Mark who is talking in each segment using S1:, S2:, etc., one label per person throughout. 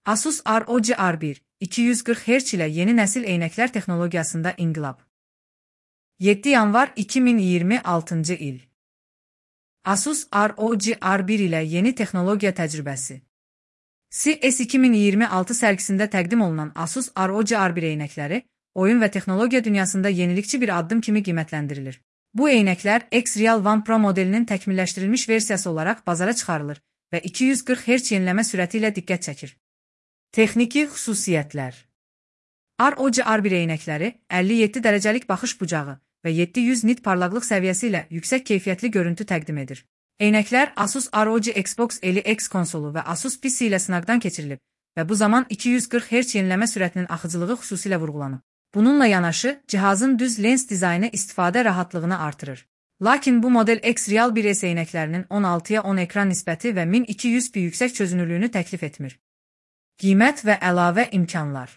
S1: Asus ROG R1 240 Hz ilə yeni nəsil eynəklər texnologiyasında inqilab. 7 yanvar 2026 il. Asus ROG R1 ilə yeni texnologiya təcrübəsi. CES 2026 sərgisində təqdim olunan Asus ROG R1 eynəkləri oyun və texnologiya dünyasında yenilikçi bir addım kimi qiymətləndirilir. Bu eynəklər X-Real One Pro modelinin təkmilləşdirilmiş versiyası olaraq bazara çıxarılır və 240 Hz yenilənmə sürəti ilə diqqət çəkir. Texniki xüsusiyyətlər. ROG R1 eynəkləri 57 dərəcəlik baxış bucağı və 700 nit parlaqlıq səviyyəsi ilə yüksək keyfiyyətli görüntü təqdim edir. Eynəklər Asus ROG Xbox Elite X konsolu və Asus PC ilə sınaqdan keçirilib və bu zaman 240 Hz yenilənmə sürətinin axıcılığı xüsusilə vurğulanıb. Bununla yanaşı, cihazın düz lens dizaynı istifadə rahatlığını artırır. Lakin bu model X-Real 1S eynəklərinin 16:10 ekran nisbəti və 1200p yüksək çözünürlüyünü təklif etmir. Qiymət və əlavə imkanlar.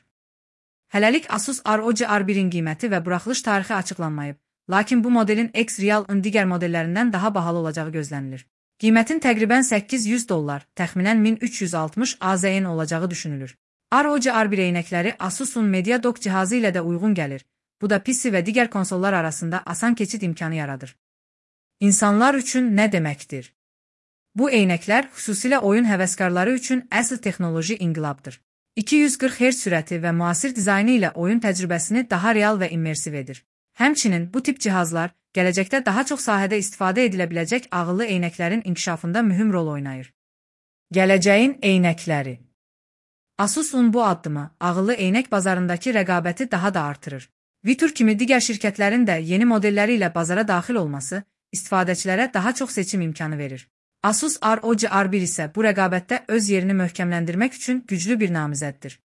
S1: Hələlik Asus ROG R1-in qiyməti və buraxılış tarixi açıqlanmayıb, lakin bu modelin X-Real-ın digər modellərindən daha bahalı olacağı gözlənilir. Qiymətin təqribən $800, təxminən 1360 AZN olacağı düşünülür. ROG R1 eynəkləri Asus'un MediaDock cihazı ilə də uyğun gəlir. Bu da PC və digər konsollar arasında asan keçid imkanı yaradır. İnsanlar üçün nə deməkdir? Bu eynəklər xüsusilə oyun həvəskarları üçün əsl texnoloji inqilabdır. 240 Hz sürəti və müasir dizaynı ilə oyun təcrübəsini daha real və immersiv edir. Həmçinin bu tip cihazlar gələcəkdə daha çox sahədə istifadə edilə biləcək ağıllı eynəklərin inkişafında mühüm rol oynayır. Gələcəyin eynəkləri. Asus'un bu addımı ağıllı eynək bazarındakı rəqabəti daha da artırır. Vitur kimi digər şirkətlərin də yeni modelləri ilə bazara daxil olması istifadəçilərə daha çox seçim imkanı verir. Asus ROG R1 isə bu rəqabətdə öz yerini möhkəmləndirmək üçün güclü bir namizəddir.